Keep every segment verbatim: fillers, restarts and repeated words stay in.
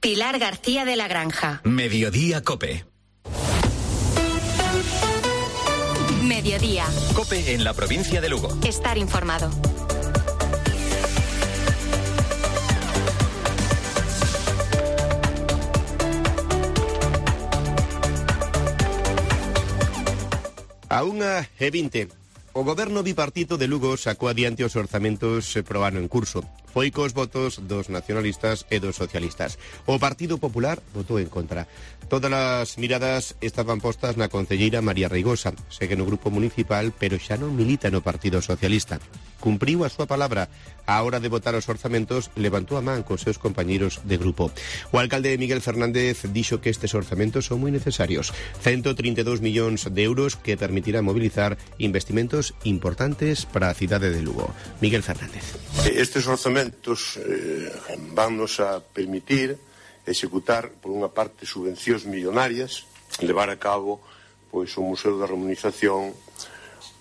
Pilar García de la Granja. Mediodía COPE. Mediodía. COPE en la provincia de Lugo. Estar informado. A unha e vinte. O goberno bipartito de Lugo sacou adiante os orzamentos pro ano en curso. Foi cos votos dos nacionalistas e dos socialistas. O Partido Popular votou en contra. Todas as miradas estaban postas na concelleira María Reigosa. Segue no grupo municipal, pero xa non milita no Partido Socialista. Cumpriu a súa palabra. A hora de votar os orzamentos, levantou a man cos seus compañeiros de grupo. O alcalde Miguel Fernández dixo que estes orzamentos son moi necesarios. ciento trinta e dous millóns de euros que permitirán mobilizar investimentos importantes para a cidade de Lugo. Miguel Fernández. Estes orzamentos eh, vannos a permitir executar, por unha parte, subvencións millonarias, levar a cabo pois o Museo da Remunización,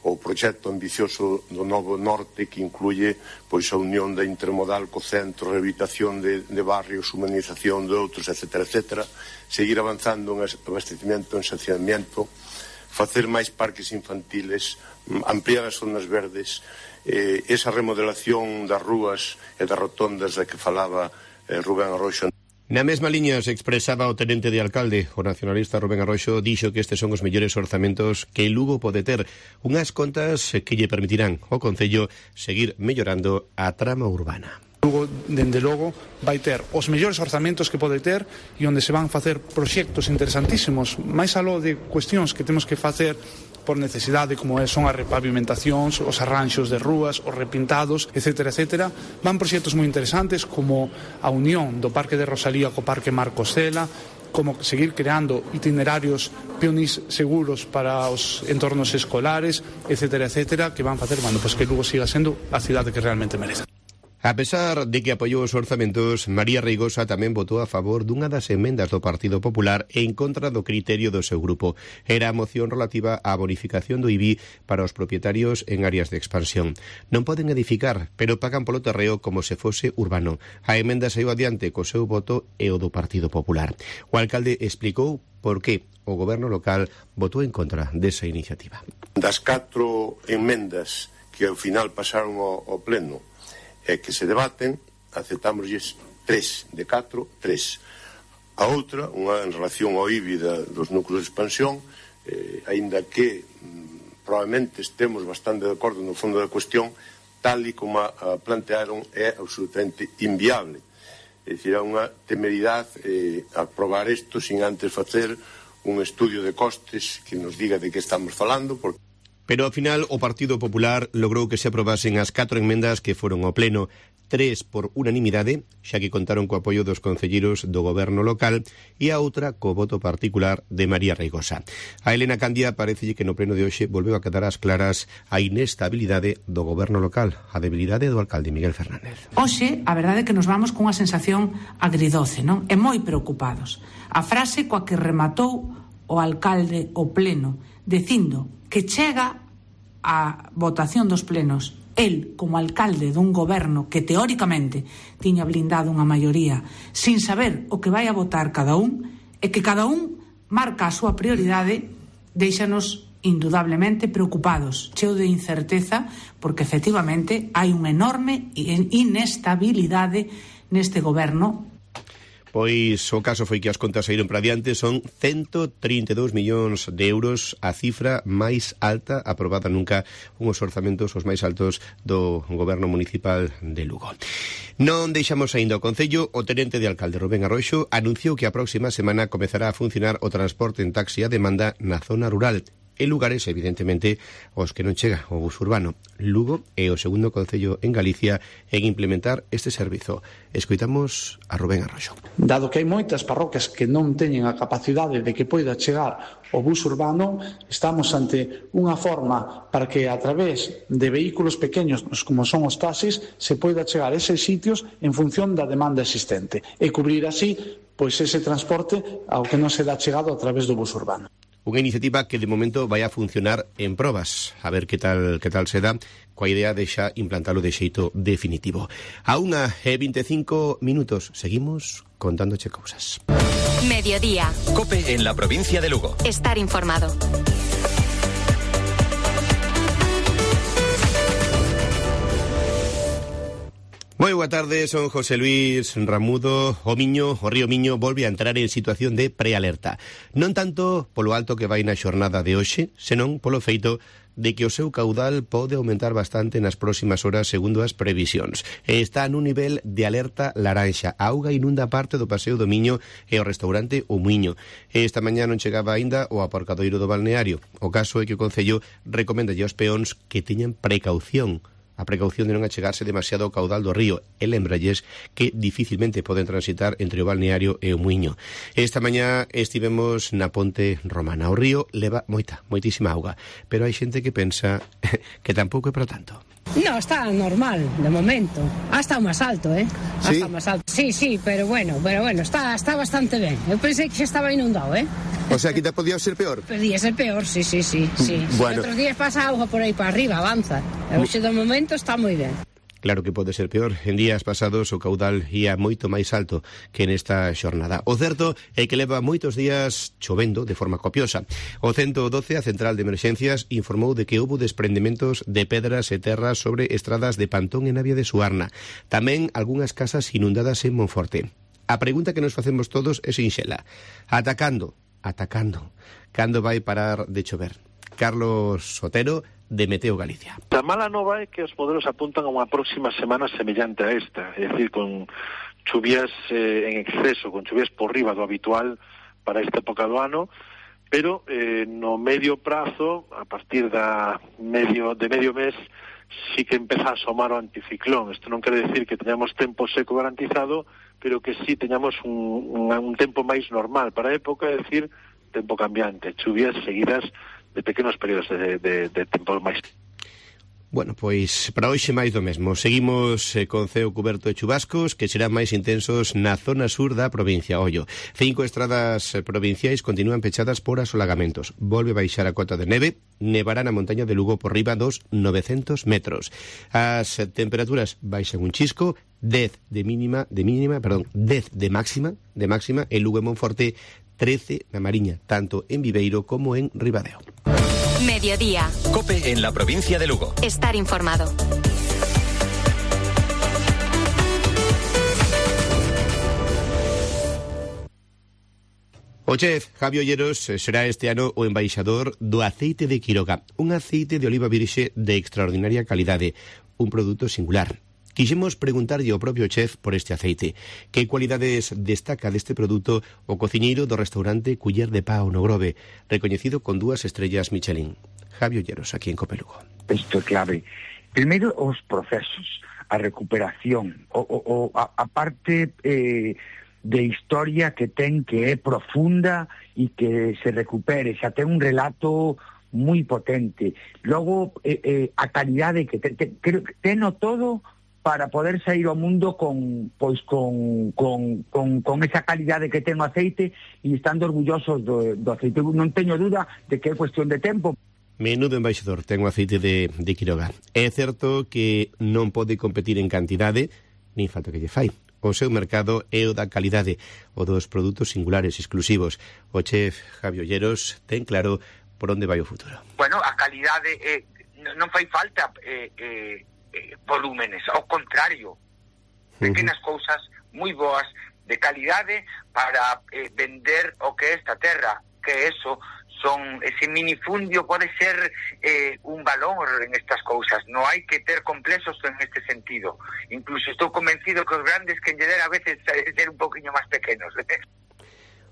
o proxecto ambicioso do Novo Norte, que incluye pois a unión da intermodal co centro, rehabilitación de, de barrios, humanización de outros, etcétera, etcétera, seguir avanzando en abastecimento, en saciamiento, facer máis parques infantiles, ampliar as zonas verdes, eh, esa remodelación das rúas e das rotondas da que falaba eh, Rubén Arroxo. Na mesma liña se expresaba o tenente de alcalde. O nacionalista Rubén Arroxo dixo que estes son os mellores orzamentos que Lugo pode ter, unhas contas que lle permitirán ao concello seguir mellorando a trama urbana. Lugo, dende logo, vai ter os mellores orzamentos que pode ter e onde se van facer proxectos interesantísimos, máis aló de cuestións que temos que facer por necesidade, como son as repavimentacións, os arranxos de rúas, os repintados, etcétera, etcétera. Van proxectos moi interesantes como a unión do Parque de Rosalía co Parque Marcos Cela, como seguir creando itinerarios peonís seguros para os entornos escolares, etcétera, etcétera, que van facer, bueno, pues que Lugo siga sendo a cidade que realmente merece. A pesar de que apoiou os orzamentos, María Reigosa tamén votou a favor dunha das emendas do Partido Popular en contra do criterio do seu grupo. Era a moción relativa á bonificación do I B I para os propietarios en áreas de expansión. Non poden edificar, pero pagan polo terreo como se fose urbano. A emenda saiu adiante co seu voto e o do Partido Popular. O alcalde explicou por que o goberno local votou en contra desa iniciativa. Das catro emendas que ao final pasaron ao, ao pleno e que se debaten, aceptámosles tres, de catro, tres. A outra, unha en relación ao I B I da, dos núcleos de expansión, eh, aínda que mm, probablemente estemos bastante de acordo no fondo da cuestión, tal e como a, a plantearon, é absolutamente inviable. É dicir, é unha temeridade eh, aprobar isto sin antes facer un estudio de costes que nos diga de que estamos falando, porque Pero ao final o Partido Popular logrou que se aprobasen as catro enmendas que foron ao pleno, tres por unanimidade, xa que contaron co apoio dos concelleiros do goberno local, e a outra co voto particular de María Reigosa. A Elena Candia parecelle que no pleno de hoxe volveu a quedar ás claras a inestabilidade do goberno local, a debilidade do alcalde Miguel Fernández. Hoxe, a verdade é que nos vamos cunha sensación agridoce, non? E moi preocupados. A frase coa que rematou o alcalde o pleno, dicindo que chega a votación dos plenos el como alcalde dun goberno que teóricamente tiña blindado unha maioría sin saber o que vai a votar cada un e que cada un marca a súa prioridade, déixanos indudablemente preocupados, cheo de incerteza, porque efectivamente hai unha enorme inestabilidade neste goberno. Pois o caso foi que as contas saíron para diante, son ciento trinta e dous millóns de euros, a cifra máis alta aprobada nunca, unhos orzamentos os máis altos do goberno municipal de Lugo. Non deixamos aínda o Concello. O tenente de alcalde Rubén Arroxo anunciou que a próxima semana comezará a funcionar o transporte en taxi a demanda na zona rural, en lugares, evidentemente, os que non chega o bus urbano. Lugo é o segundo concello en Galicia en implementar este servizo. Escoitamos a Rubén Arroxo. Dado que hai moitas parroquias que non teñen a capacidade de que poida chegar o bus urbano, estamos ante unha forma para que a través de vehículos pequenos como son os taxis se poida chegar a eses sitios en función da demanda existente e cubrir así pois ese transporte ao que non se dá chegado a través do bus urbano. Unha iniciativa que de momento vai a funcionar en probas, a ver que tal que tal se dá, coa idea de xa implantalo de xeito definitivo. A unha e vinte e cinco minutos, seguimos contándoche cousas. Mediodía. COPE en la provincia de Lugo. Estar informado. Moi boa tarde, son José Luis Ramudo. O Miño, o río Miño, volve a entrar en situación de prealerta. Non tanto polo alto que vai na xornada de hoxe, senón polo feito de que o seu caudal pode aumentar bastante nas próximas horas segundo as previsións. Está nun nivel de alerta laranxa. A auga inunda parte do paseo do Miño e o restaurante O Muiño. Esta mañá non chegaba aínda o aparcadoiro do balneario. O caso é que o Concello recomenda aos peóns que teñan precaución. A precaución de non achegarse demasiado ao caudal do río e lembralles que dificilmente poden transitar entre o balneario e o Muiño. Esta mañá estivemos na ponte romana. O río leva moita, moitísima auga, pero hai xente que pensa que tampouco é para tanto. No, está normal, de momento. Ha estado máis alto, eh? Ha ¿Sí? estado máis alto. Sí, sí, pero bueno, pero bueno, está, está bastante ben. Eu pensei que xa estaba inundado, eh? O sea, que te podía ser peor? Podía ser peor, sí, sí, sí, sí. Bueno. Outros días pasa auga por aí para arriba, avanza. E hoxe de momento está moi ben. Claro que pode ser peor. En días pasados o caudal ia moito máis alto que nesta xornada. O certo é que leva moitos días chovendo de forma copiosa. O ciento doce, a Central de Emerxencias, informou de que houbo desprendementos de pedras e terras sobre estradas de Pantón e Navia de Suarna. Tamén algunhas casas inundadas en Monforte. A pregunta que nos facemos todos é sinxela. Atacando, atacando, cando vai parar de chover? Carlos Sotero, de Meteo Galicia. A mala nova é que os modelos apuntan a unha próxima semana semellante a esta, é dicir, con chuvias eh, en exceso, con chuvias por riba do habitual para esta época do ano, pero eh, no medio prazo, a partir da medio de medio mes, sí que empeza a asomar o anticiclón. Isto non quere decir que teñamos tempo seco garantizado, pero que sí teñamos un, un, un tempo máis normal para a época, é dicir, tempo cambiante, chuvias seguidas de pequenos períodos de, de, de tempo máis. Bueno, pois para hoxe máis do mesmo. Seguimos eh, con ceo cuberto de chubascos que serán máis intensos na zona sur da provincia. Ollo, cinco estradas provinciais continúan pechadas por asolagamentos. Volve baixar a cota de neve, nevará na montaña de Lugo por riba dos novecentos metros. As temperaturas baixan un chisco, dez de mínima, de mínima, perdón, dez de máxima, de máxima en Lugo e Monforte, trece na Mariña, tanto en Viveiro como en Ribadeo. Mediodía. COPE en la provincia de Lugo. Estar informado. O chef Javi Olleros será este ano o embaixador do aceite de Quiroga, un aceite de oliva virxe de extraordinaria calidade, un produto singular. Quixemos preguntarlle ao propio chef por este aceite. Que cualidades destaca deste produto o cociñeiro do restaurante Culler de Pau no Grove, recoñecido con dúas estrellas Michelin? Javi Olleros, aquí en COPE Lugo. Isto é clave. Primeiro, os procesos, a recuperación, o, o, o, a, a parte eh, de historia que ten, que é profunda e que se recupere, xa ten un relato moi potente. Logo, eh, eh, a calidade que ten, ten, creo que teno todo para poder sair ao mundo con pois con, con, con, con esa calidade que ten o aceite e estando orgullosos do, do aceite. Non teño duda de que é cuestión de tempo. Menudo embaixador ten o aceite de, de Quiroga. É certo que non pode competir en cantidade, nin falta que lle fai. O seu mercado é o da calidade, o dos produtos singulares exclusivos. O chef Javi Olleros ten claro por onde vai o futuro. Bueno, a calidade eh, non fai falta eh, eh, volúmenes, ao contrario, pequenas uh-huh. cousas moi boas de calidade para eh, vender o que é esta terra, que eso son, ese minifundio pode ser eh, un valor en estas cousas, non hai que ter complexos en este sentido, incluso estou convencido que os grandes que lle der a veces ser un poquinho máis pequenos.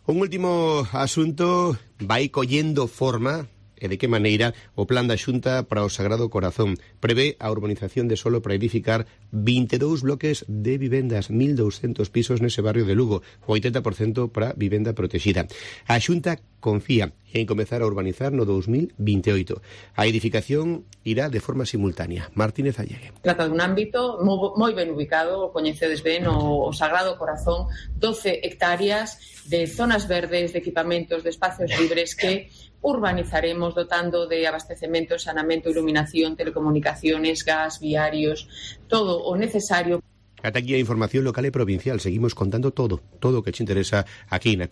Un último asunto, vai collendo forma. E de que maneira o plan da Xunta para o Sagrado Corazón prevé a urbanización de solo para edificar vinte e dous bloques de vivendas, mil douscentos pisos nese barrio de Lugo, o oitenta por cento para vivenda protexida. A Xunta confía en comezar a urbanizar no dos mil vinte e oito. A edificación irá de forma simultánea. Martínez Allegue. Trata dun ámbito moi ben ubicado, coñecedes ben o Sagrado Corazón, doce hectáreas de zonas verdes, de equipamentos, de espacios libres que urbanizaremos dotando de abastecemento, saneamento, iluminación, telecomunicaciones, gas, viarios, todo o necesario. Ata aquí a información local e provincial. Seguimos contando todo, todo o que te interesa aquí na